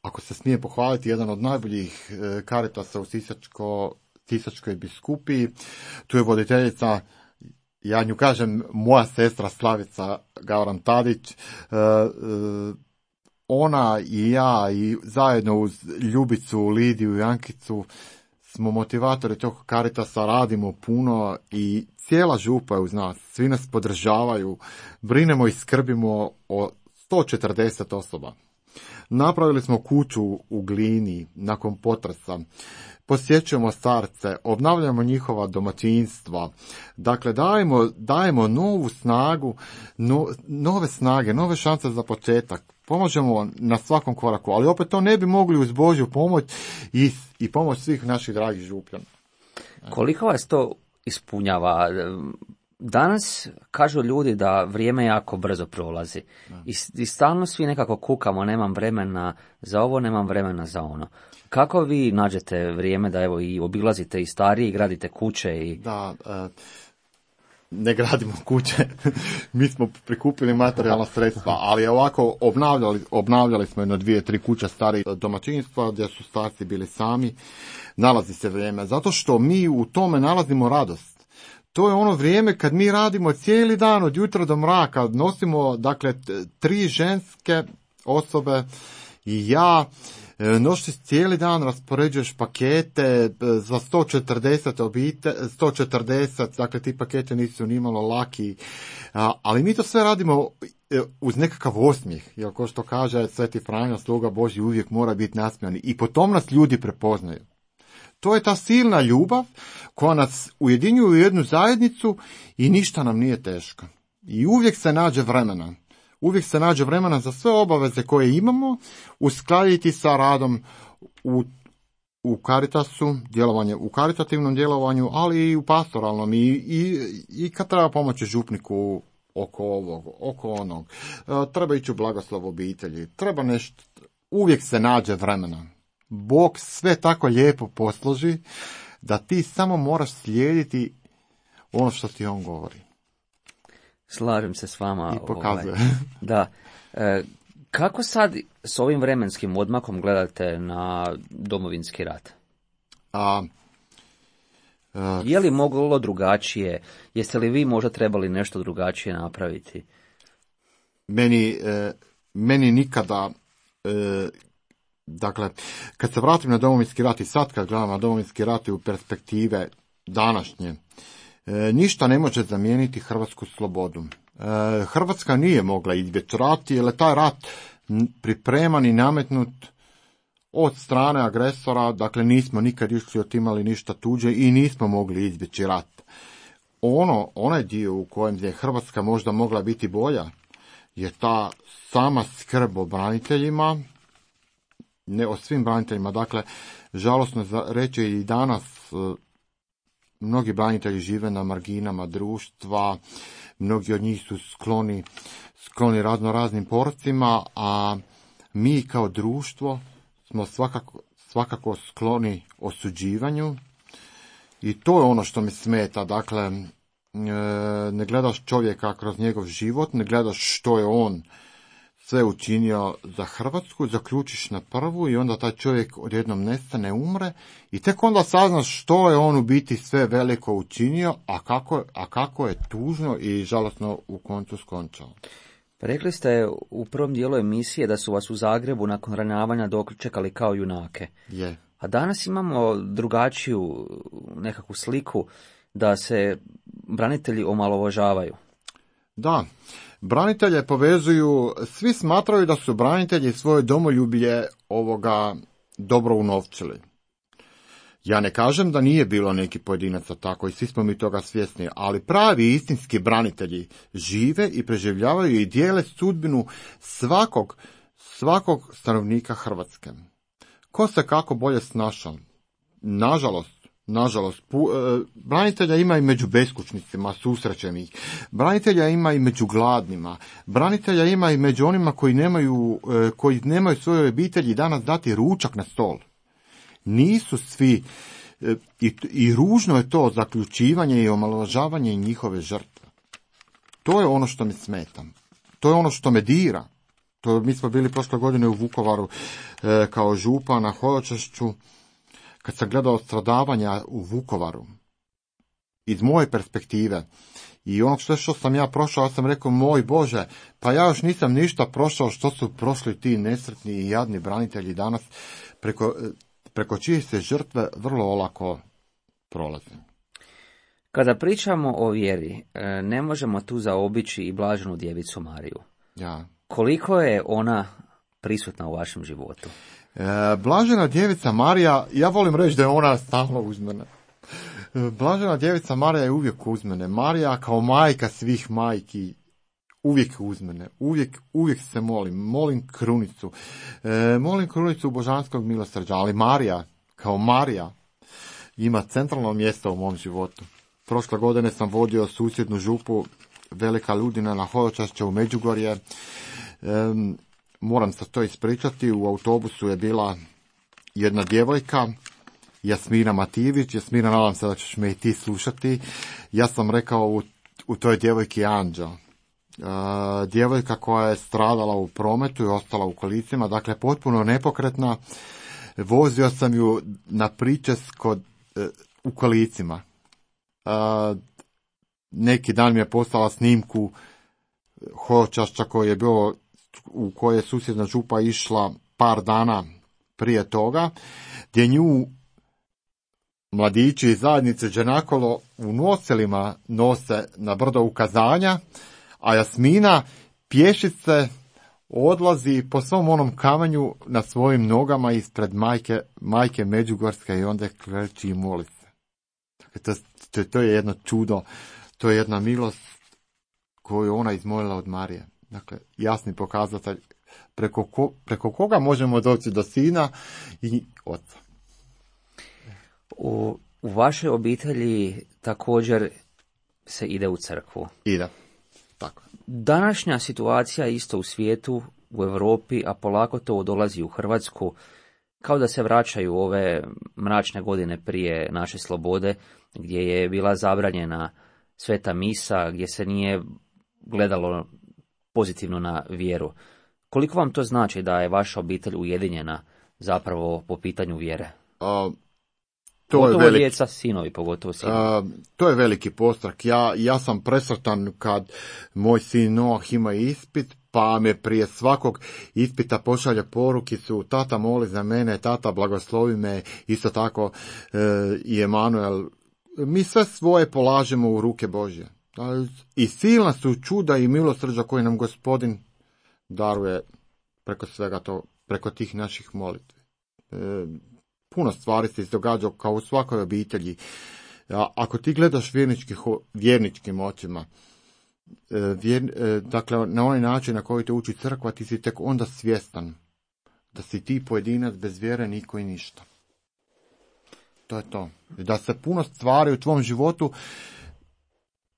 ako se smije pohvaliti, jedan od najboljih uh, karitasa u Sisačko, Sisačkoj biskupiji. Tu je voditeljica, ja nju kažem, moja sestra Slavica Gavran Tadić. Uh, uh, ona i ja i zajedno uz Ljubicu, Lidiju i Ankicu smo motivatori tog Caritasa, radimo puno i cijela župa je uz nas, svi nas podržavaju, brinemo i skrbimo o sto četrdeset osoba. Napravili smo kuću u Glini nakon potresa, posjećujemo starce, obnavljamo njihova domaćinstva, dakle dajemo, dajemo novu snagu, no, nove snage, nove šanse za početak. Pomožemo na svakom koraku, ali opet to ne bi mogli uz Božju pomoć i, i pomoć svih naših dragih župljana. Koliko vas to ispunjava? Danas kažu ljudi da vrijeme jako brzo prolazi i, i stalno svi nekako kukamo, nemam vremena za ovo, nemam vremena za ono. Kako vi nađete vrijeme da evo i obilazite i stariji, gradite kuće? I... Da, uh... ne gradimo kuće, mi smo prikupili materijalna sredstva, ali ovako obnavljali, obnavljali smo jedno dvije, tri kuće starih domaćinstva gdje su starci bili sami. Nalazi se vrijeme, zato što mi u tome nalazimo radost. To je ono vrijeme kad mi radimo cijeli dan od jutra do mraka, nosimo, dakle, tri ženske osobe i ja, noći cijeli dan raspoređuješ pakete za sto četrdeset obite, sto četrdeset, dakle ti pakete nisu nimalo laki, ali mi to sve radimo uz nekakav osmijeh, jer ko što kaže Sveti Franjo, sluga Božji uvijek mora biti nasmijani i po tom nas ljudi prepoznaju. To je ta silna ljubav koja nas ujedinjuje u jednu zajednicu i ništa nam nije teško. I uvijek se nađe vremena. Uvijek se nađe vremena za sve obaveze koje imamo, uskladiti sa radom u, u Caritasu, djelovanje u karitativnom djelovanju, ali i u pastoralnom i, i, i kad treba pomoći župniku oko ovog, oko onog. E, treba ići u blagoslov obitelji, treba nešto, uvijek se nađe vremena. Bog sve tako lijepo posloži da ti samo moraš slijediti ono što ti on govori. Slažem se s vama. I pokazuje. Ovaj, da. E, kako sad s ovim vremenskim odmakom gledate na Domovinski rat? A, a, Je li moglo drugačije? Jeste li vi možda trebali nešto drugačije napraviti? Meni, e, meni nikada, e, dakle, kad se vratim na Domovinski rat i sad kad gledam na Domovinski rat i u perspektive današnje, e, ništa ne može zamijeniti hrvatsku slobodu. E, Hrvatska nije mogla izbjeći rat, jer je taj rat pripreman i nametnut od strane agresora, dakle nismo nikad išli otimali ništa tuđe i nismo mogli izbjeći rat. Ono, onaj dio u kojem je Hrvatska možda mogla biti bolja, je ta sama skrb o braniteljima, ne o svim braniteljima, dakle, žalosno za reći i danas mnogi branitelji žive na marginama društva, mnogi od njih su skloni, skloni razno raznim porcima, a mi kao društvo smo svakako, svakako skloni osuđivanju i to je ono što mi smeta, dakle, ne gledaš čovjeka kroz njegov život, ne gledaš što je on sve učinio za Hrvatsku, zaključiš na prvu i onda taj čovjek odjednom nestane, umre i tek onda saznaš što je on u biti sve veliko učinio, a kako, a kako je tužno i žalosno u koncu skončao. Rekli ste u prvom dijelu emisije da su vas u Zagrebu nakon ranjavanja dočekali kao junake. Je. A danas imamo drugačiju nekakvu sliku da se branitelji omalovažavaju. Da, branitelje povezuju, svi smatraju da su branitelji svoje domoljublje ovoga dobro unovčili. Ja ne kažem da nije bilo neki pojedinaca tako i svi smo mi toga svjesni, ali pravi istinski branitelji žive i preživljavaju i dijele sudbinu svakog, svakog stanovnika Hrvatske. Ko se kako bolje snašao? Nažalost, nažalost, pu, e, branitelja ima i među beskućnicima, susrećem ih. Branitelja ima i među gladnima. Branitelja ima i među onima koji nemaju, e, koji nemaju svoje obitelji danas dati ručak na stol. Nisu svi, e, i, i ružno je to zaključivanje i omalovažavanje njihove žrtve. To je ono što mi smeta. To je ono što me dira. To, mi smo bili prošle godine u Vukovaru e, kao župan na hodočašću. Kad sam gledao stradavanja u Vukovaru, iz moje perspektive, i onog sve što sam ja prošao, ja sam rekao, moj Bože, pa ja još nisam ništa prošao što su prošli ti nesretni i jadni branitelji danas, preko, preko čije se žrtve vrlo olako prolaze. Kada pričamo o vjeri, ne možemo tu zaobići i blaženu djevicu Mariju. Ja. Koliko je ona prisutna u vašem životu? E, Blažena djevica Marija, ja volim reći da je ona stalno uz mene. E, Blažena djevica Marija je uvijek uz mene. Marija kao majka svih majki uvijek uz mene. Uvijek, uvijek se molim. Molim krunicu. E, molim krunicu božanskog milosrđa, ali Marija kao Marija ima centralno mjesto u mom životu. Prošle godine sam vodio susjednu župu Velika Ludina na hodočašće u Međugorje. E, Moram se to ispričati, u autobusu je bila jedna djevojka, Jasmina Matijević. Jasmina, nadam se da ćeš me i ti slušati. Ja sam rekao u, u toj djevojki anđeo. E, djevojka koja je stradala u prometu i ostala u kolicima, dakle potpuno nepokretna. Vozio sam ju na pričest kod, e, u kolicima. E, neki dan mi je poslala snimku hodočašća koji je bio, u koje je susjedna župa išla par dana prije toga, gdje nju mladići iz zajednice Đenakolo u noselima nose na brdo ukazanja, a Jasmina pješice odlazi po svom onom kamenju na svojim nogama ispred majke, majke Međugorske i onda kreći i moli se. To, to, to je jedno čudo, to je jedna milost koju ona izmolila od Marije. Dakle, jasni pokazatelj preko, ko, preko koga možemo doći do sina i oca. U, u vašoj obitelji također se ide u crkvu. Ide, tako. Današnja situacija isto u svijetu, u Europi, a polako to dolazi u Hrvatsku, kao da se vraćaju ove mračne godine prije naše slobode, gdje je bila zabranjena sveta misa, gdje se nije gledalo pozitivno na vjeru. Koliko vam to znači da je vaša obitelj ujedinjena zapravo po pitanju vjere? A, to pogotovo je velik, djeca, sinovi, pogotovo sinovi. a, to je veliki postrak. Ja, ja sam presretan kad moj sin Noah ima ispit, pa me prije svakog ispita pošalje porukicu, tata moli za mene, tata blagoslovi me, isto tako e, i Emanuel. Mi sve svoje polažemo u ruke Božje. I silna su čuda i milosrđa koje nam Gospodin daruje preko svega to, preko tih naših molitvi. E, puno stvari se izdogađa kao u svakoj obitelji. A, ako ti gledaš vjernički, vjerničkim očima, e, vjer, e, dakle na onaj način na koji te uči crkva, ti si tek onda svjestan da si ti pojedinac bez vjere niko i ništa. To je to. Da se puno stvari u tvom životu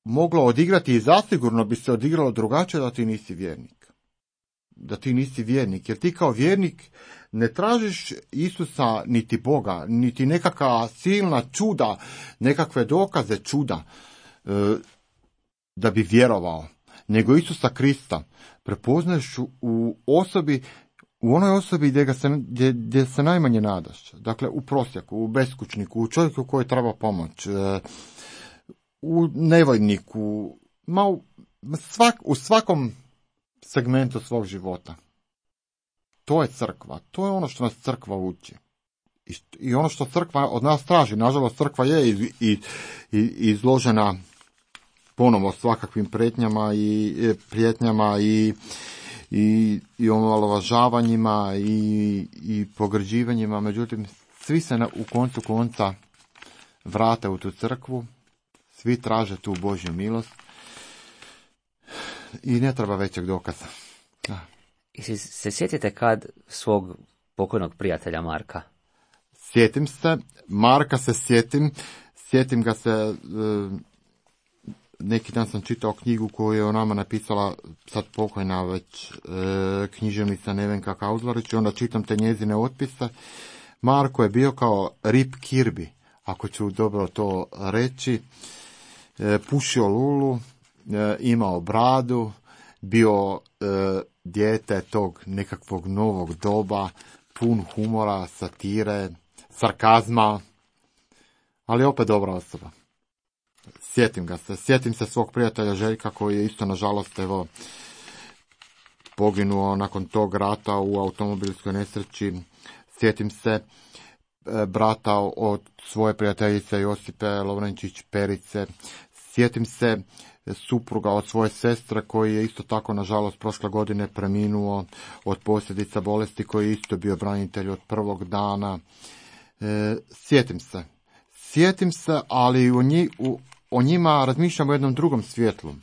moglo odigrati i zasigurno bi se odigralo drugačije da ti nisi vjernik. Da ti nisi vjernik, jer ti kao vjernik ne tražiš Isusa niti Boga, niti nekakva silna čuda, nekakve dokaze čuda e, da bi vjerovao, nego Isusa Krista prepoznaješ u osobi, u onoj osobi gdje, ga se, gdje, gdje se najmanje nadaš. Dakle, u prosjaku, u beskućniku, u čovjeku koji treba pomoć, e, u nevojniku, ma u, svak, u svakom segmentu svog života. To je crkva. To je ono što nas crkva uči. I, i ono što crkva od nas traži. Nažalost, crkva je iz, i, i, izložena ponovo svakakvim pretnjama i prijetnjama i, i, i omalovažavanjima i, i pogrđivanjima. Međutim, svi se na, u koncu konca vrate u tu crkvu. Svi traže tu Božju milost i ne treba većeg dokaza. Da. I se, se sjetite kad svog pokojnog prijatelja Marka? Sjetim se, Marka se sjetim, sjetim ga se, e, neki dan sam čitao knjigu koju je o nama napisala sad pokojna već e, književnica Nevenka Kauzlarić i onda čitam te njezine otpise. Marko je bio kao Rip Kirby, ako ću dobro to reći. E, pušio lulu, e, imao bradu, bio e, dijete tog nekakvog novog doba, pun humora, satire, sarkazma, ali opet dobra osoba. Sjetim ga se, sjetim se svog prijatelja Željka koji je isto nažalost evo poginuo nakon tog rata u automobilskoj nesreći. Sjetim se brata od svoje prijateljice Josipe Lovrenčić Perice. Sjetim se supruga od svoje sestre koji je isto tako nažalost prošle godine preminuo od posljedica bolesti, koji je isto bio branitelj od prvog dana. E, sjetim se. Sjetim se, ali o, nji, u, o njima razmišljam u jednom drugom svjetlu.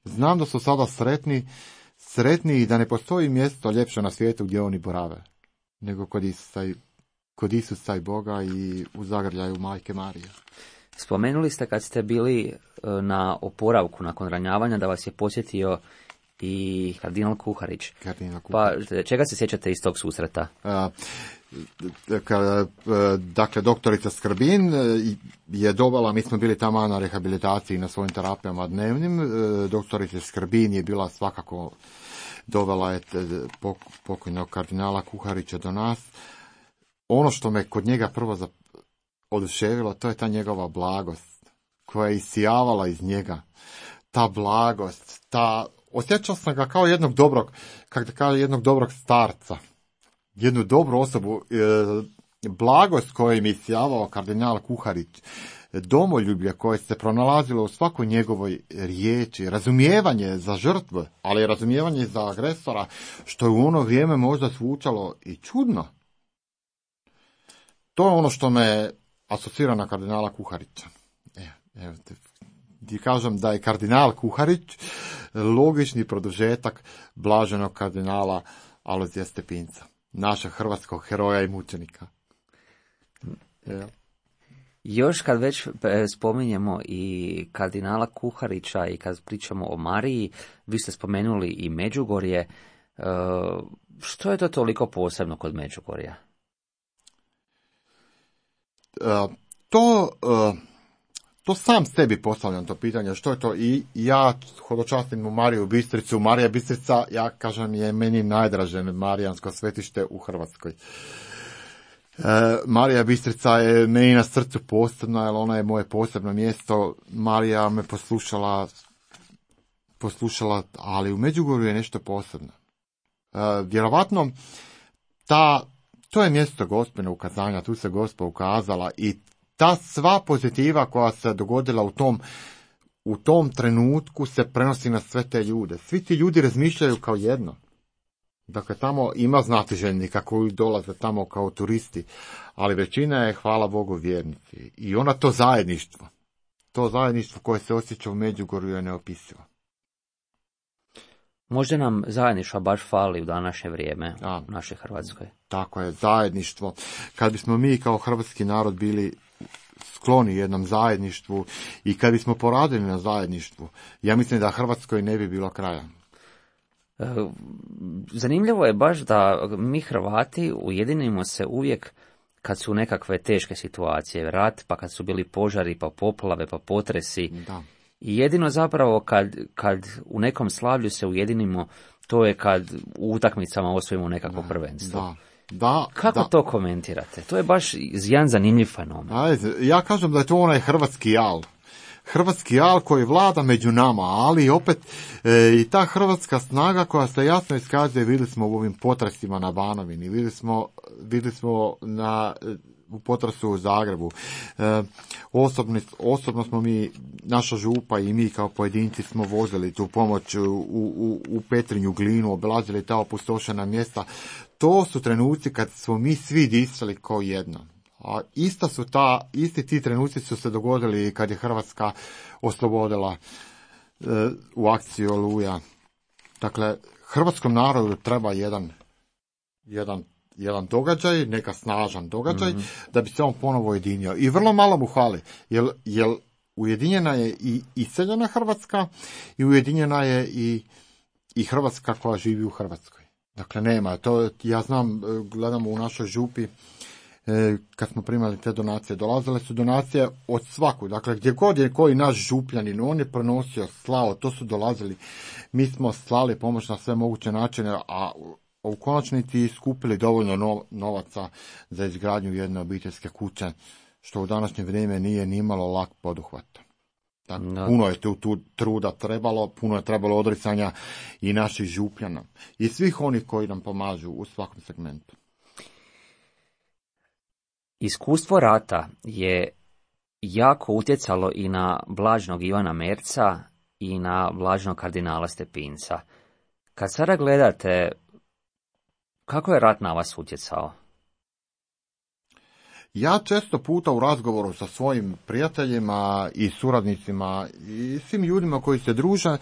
Znam da su sada sretni, sretni i da ne postoji mjesto ljepše na svijetu gdje oni borave, nego kod Isusa i kod Isusa i Boga i u zagrljaju Majke Marije. Spomenuli ste kad ste bili na oporavku nakon ranjavanja da vas je posjetio i kardinal Kuharić. Kardinal Kuharić. Pa čega se sjećate iz tog susreta? A, dakle, doktorica Skrbin je dovela, mi smo bili tamo na rehabilitaciji na svojim terapijama dnevnim. Doktorica Skrbin je bila svakako dovela je pokojnog kardinala Kuharića do nas. Ono što me kod njega prvo oduševilo, to je ta njegova blagost koja je isijavala iz njega. Ta blagost, ta, osjećao sam ga kao jednog dobrog, kako da kažem, jednog dobrog starca. Jednu dobru osobu, e, blagost koju mi isijavao kardinal Kuharić, domoljublje koje se pronalazilo u svakoj njegovoj riječi, razumijevanje za žrtve, ali razumijevanje za agresora, što je u ono vrijeme možda zvučalo i čudno. To je ono što me asocira na kardinala Kuharića. Evo, evo te, ti kažem da je kardinal Kuharić logični produžetak blaženog kardinala Alojzija Stepinca, našeg hrvatskog heroja i mučenika. Evo. Još kad već spominjemo i kardinala Kuharića i kad pričamo o Mariji, vi ste spomenuli i Međugorje. Što je to toliko posebno kod Međugorja? To, to sam sebi postavljam to pitanje, što je to, i ja hodočastim u Mariju Bistricu. Marija Bistrica, ja kažem, je meni najdraže marijansko svetište u Hrvatskoj. Marija Bistrica je meni na srcu posebna, jer ona je moje posebno mjesto. Marija me poslušala, poslušala, ali u Međugorju je nešto posebno. Vjerovatno, ta, to je mjesto Gospina ukazanja, tu se Gospa ukazala i ta sva pozitiva koja se dogodila u tom, u tom trenutku se prenosi na sve te ljude. Svi ti ljudi razmišljaju kao jedno. Dakle, tamo ima znatiželjnika koji dolaze tamo kao turisti, ali većina je, hvala Bogu, vjernici. I ona to zajedništvo, to zajedništvo koje se osjeća u Međugorju je neopisivo. Možda nam zajedništva baš fali u današnje vrijeme da, u našoj Hrvatskoj. Tako je, zajedništvo. Kad bismo mi kao hrvatski narod bili skloni jednom zajedništvu i kad bismo poradili na zajedništvu, ja mislim da Hrvatskoj ne bi bilo kraja. Zanimljivo je baš da mi Hrvati ujedinimo se uvijek kad su nekakve teške situacije, rat, pa kad su bili požari, pa poplave, pa potresi. Da. I jedino zapravo kad, kad u nekom slavlju se ujedinimo, to je kad u utakmicama osvojimo nekakvo da, prvenstvo. Da, da, Kako da. to komentirate? To je baš jedan zanimljiv fenomen. Ajde, ja kažem da je to onaj hrvatski jal. Hrvatski jal koji vlada među nama, ali opet e, i ta hrvatska snaga koja se jasno iskazuje, vidjeli smo u ovim potresima na Banovini, vidjeli smo, vidjeli smo na, u potresu u Zagrebu. E, osobno, osobno smo mi, naša župa i mi kao pojedinci smo vozili tu pomoć u, u, u Petrinju, Glinu, obilazili ta opustošena mjesta. To su trenuci kad smo mi svi disali kao jedno. A ista su ta, isti ti trenuci su se dogodili kad je Hrvatska oslobodila e, u akciji Oluja. Dakle, hrvatskom narodu treba jedan, jedan, jedan događaj, neka snažan događaj, mm-hmm. da bi se on ponovo ujedinio. I vrlo malo mu hvali, jer, jer ujedinjena je i iseljena Hrvatska i ujedinjena je i, i Hrvatska koja živi u Hrvatskoj. Dakle, nema. To, ja znam, gledamo u našoj župi, kad smo primali te donacije, dolazile su donacije od svaku, dakle gdje god je koji naš župljanin, on je prenosio, slao, to su dolazili, mi smo slali pomoć na sve moguće načine, a u konačnici skupili dovoljno novaca za izgradnju jedne obiteljske kuće, što u današnje vrijeme nije ni imalo lak poduhvat. Dakle, no. Puno je tu, tu truda trebalo, puno je trebalo odricanja i naših župljana i svih onih koji nam pomažu u svakom segmentu. Iskustvo rata je jako utjecalo i na blažnog Ivana Merca i na blažnog kardinala Stepinca. Kad sada gledate, kako je rat na vas utjecao? Ja često puta u razgovoru sa svojim prijateljima i suradnicima i svim ljudima koji se druže,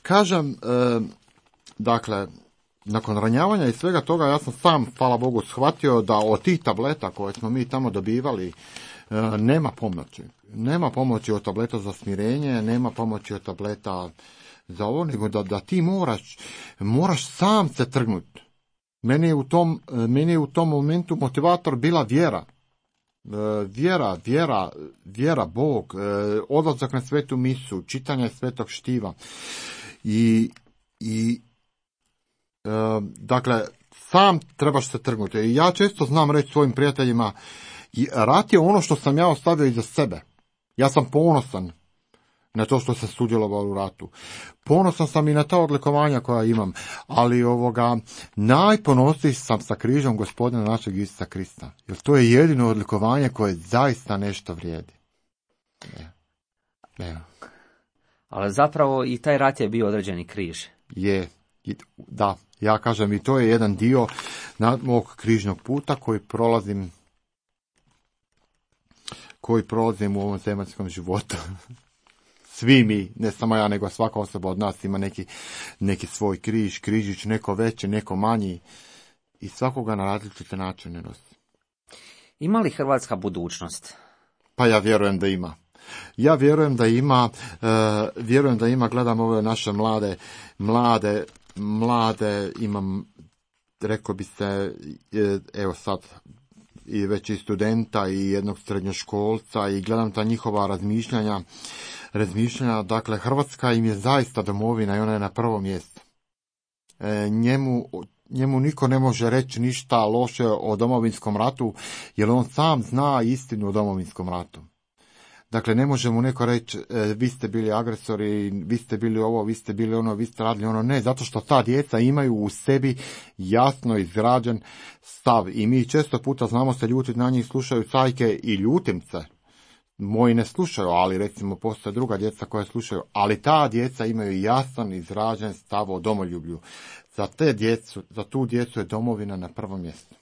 kažem, e, dakle, nakon ranjavanja i svega toga, ja sam sam, hvala Bogu, shvatio da od tih tableta koje smo mi tamo dobivali, e, nema pomoći. Nema pomoći od tableta za smirenje, nema pomoći od tableta za ovo, nego da, da ti moraš, moraš sam se trgnuti. Meni je u tom, meni je u tom momentu motivator bila vjera. E, vjera, vjera, vjera, Bog, e, odlazak na svetu misu, čitanje svetog štiva. I, i dakle, sam trebaš se trgnuti. I ja često znam reći svojim prijateljima, rat je ono što sam ja ostavio iza sebe. Ja sam ponosan na to što sam sudjelovao u ratu. Ponosan sam i na ta odlikovanja koja imam, ali ovoga, najponosniji sam sa križom Gospodina našeg Isusa Krista. Jer to je jedino odlikovanje koje zaista nešto vrijedi. Ne. Ne. Ali zapravo i taj rat je bio određeni križ. Je. Da, ja kažem, i to je jedan dio mog križnog puta koji prolazim koji prolazim u ovom zemaljskom životu. Svi mi, ne samo ja, nego svaka osoba od nas ima neki, neki svoj križ, križić, neko veći, neko manji i svakoga na različite načine nosi. Ima li Hrvatska budućnost? Pa ja vjerujem da ima. Ja vjerujem da ima, uh, vjerujem da ima, gledam ove naše mlade, mlade, mlade, imam, rekao bi se, evo sad, i već i studenta i jednog srednjoškolca i gledam ta njihova razmišljanja, razmišljanja, dakle, Hrvatska im je zaista domovina i ona je na prvom mjestu. E, njemu, njemu niko ne može reći ništa loše o Domovinskom ratu, jer on sam zna istinu o Domovinskom ratu. Dakle, ne može mu neko reći, e, vi ste bili agresori, vi ste bili ovo, vi ste bili ono, vi ste radili ono. Ne, zato što ta djeca imaju u sebi jasno izgrađen stav. I mi često puta znamo se ljutiti na njih, slušaju cajke i ljutim se. Moji ne slušaju, ali recimo postoje druga djeca koja slušaju. Ali ta djeca imaju jasan izražen stav o domoljublju. Za, te djecu, za tu djecu je domovina na prvom mjestu.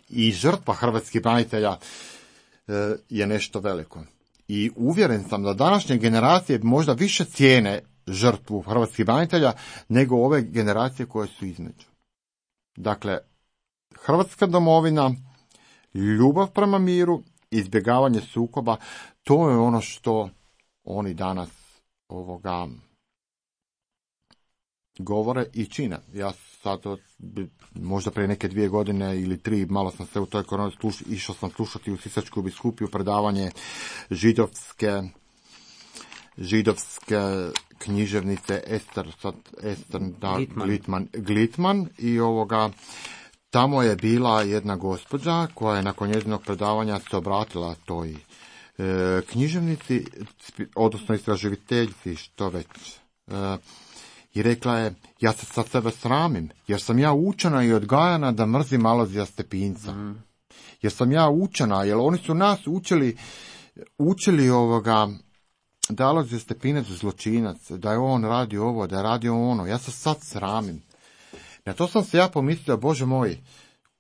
I žrtva hrvatskih branitelja e, je nešto veliko. I uvjeren sam da današnje generacije možda više cijene žrtvu hrvatskih branitelja nego ove generacije koje su između. Dakle, Hrvatska domovina, ljubav prema miru, izbjegavanje sukoba, to je ono što oni danas ovoga govore i čine. Ja sad, možda prije neke dvije godine ili tri, malo sam se u toj koroni slušao, išao sam slušati u Sisačku biskupiju predavanje židovske, židovske književnice Ester, sad Ester da, Glitman. Glitman, Glitman i ovoga, tamo je bila jedna gospođa koja je nakon njezinog predavanja se obratila toj e, književnici, odnosno istraživiteljici, što već, e, i rekla je, ja se sad sebe sramim, jer sam ja učena i odgajana da mrzim Alojzija Stepinca. Mm. Jer sam ja učena, jer oni su nas učili, učili ovoga, da je Alojzije Stepinac zločinac, da je on radio ovo, da je radio ono. Ja se sad sramim. Na to sam se ja pomislio, Bože moj,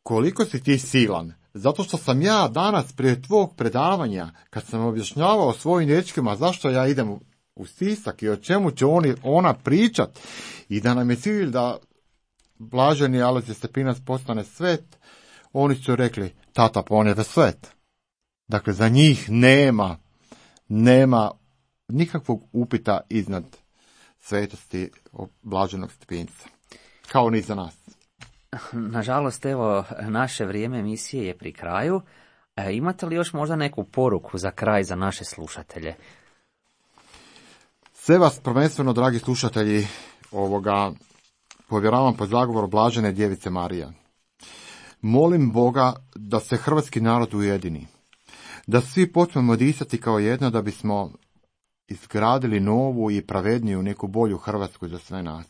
koliko si ti silan. Zato što sam ja danas prije tvog predavanja, kad sam objašnjavao svojim dječkima zašto ja idem u, u Sisak i o čemu će oni, ona pričat, i da nam je cilj da blaženi Alojzije Stepinac postane svet, oni su rekli, tata, pa on je svet. Dakle, za njih nema, nema nikakvog upita iznad svetosti blaženog Stepinca. Kao ni za nas. Nažalost, evo, naše vrijeme emisije je pri kraju. E, imate li još možda neku poruku za kraj za naše slušatelje? Sve vas prvenstveno, dragi slušatelji, ovoga povjeravam pod zagovor blažene djevice Marija. Molim Boga da se hrvatski narod ujedini, da svi počnemo disati kao jedno, da bismo izgradili novu i pravedniju neku bolju Hrvatsku za sve nas.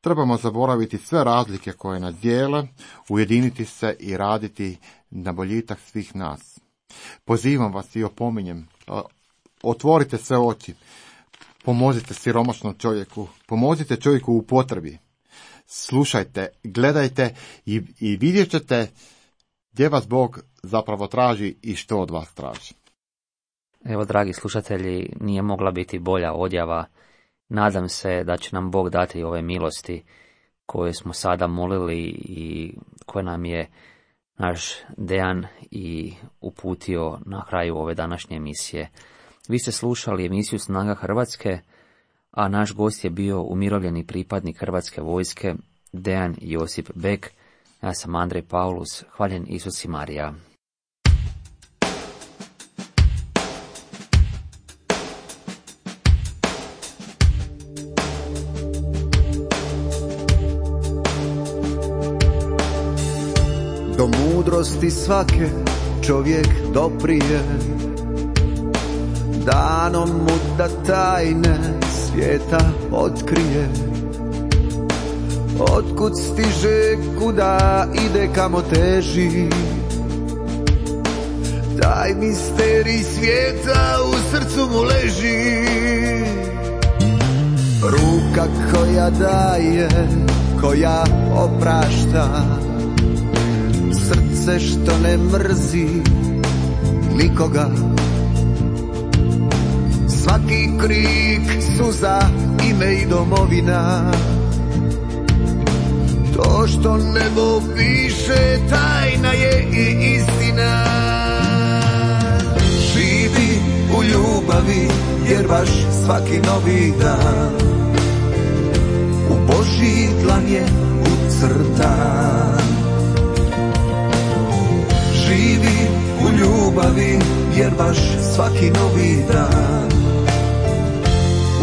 Trebamo zaboraviti sve razlike koje nas dijele, ujediniti se i raditi na boljitak svih nas. Pozivam vas i opominjem, otvorite sve oči, pomozite siromašnom čovjeku, pomozite čovjeku u potrebi. Slušajte, gledajte i, i vidjet ćete gdje vas Bog zapravo traži i što od vas traži. Evo, dragi slušatelji, nije mogla biti bolja odjava. Nadam se da će nam Bog dati ove milosti koje smo sada molili i koje nam je naš Dejan i uputio na kraju ove današnje emisije. Vi ste slušali emisiju Snaga Hrvatske, a naš gost je bio umirovljeni pripadnik Hrvatske vojske Dejan Josip Bek. Ja sam Andrej Paulus. Hvaljen Isus i Marija. Do mudrosti svake čovjek doprije, danom mu da tajne svijeta otkrije. Otkud stiže, kuda ide, kamo teži, taj misterij svijeta u srcu mu leži. Ruka koja daje, koja oprašta, srce što ne mrzi nikoga. Svaki krik, suza, ime i domovina, to što nebo piše tajna je i istina. Živ ljubavi, jer baš svaki novi dan u Božji dlan je ucrtan. Živi u ljubavi, jer baš svaki novi dan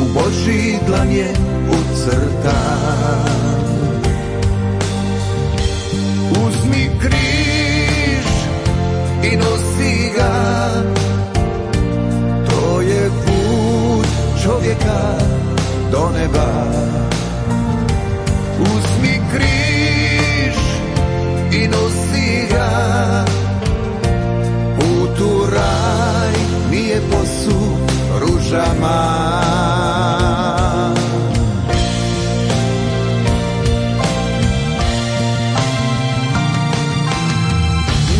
u Božji dlan je ucrtan. Uzmi križ i nosi ga, to je put čovjeka do neba. Uzmi križ i nosi ga, put u raj nije posut ružama.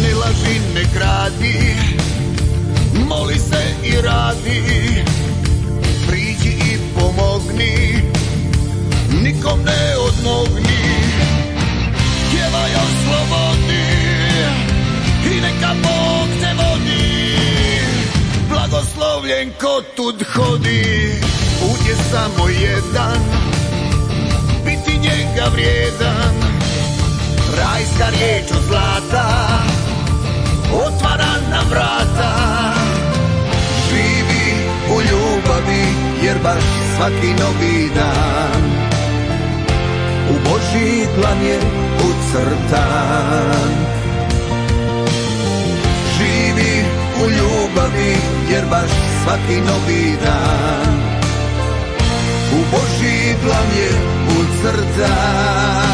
Ne laži, ne kradi, moli se i radi, priđi i pomogni, nikom ne odmogni, pjevaj o slobodi i neka Bog te vodi. Blagoslovljen ko tud hodi, put je samo jedan, biti njega vrijedan. Rajska riječ od zlata otvara nam vrata. Živi u ljubavi, jer baš svaki novi dan u Božji plan je ucrtan. Živi u ljubavi, jer baš svaki novi dan u Božji plan je ucrtan.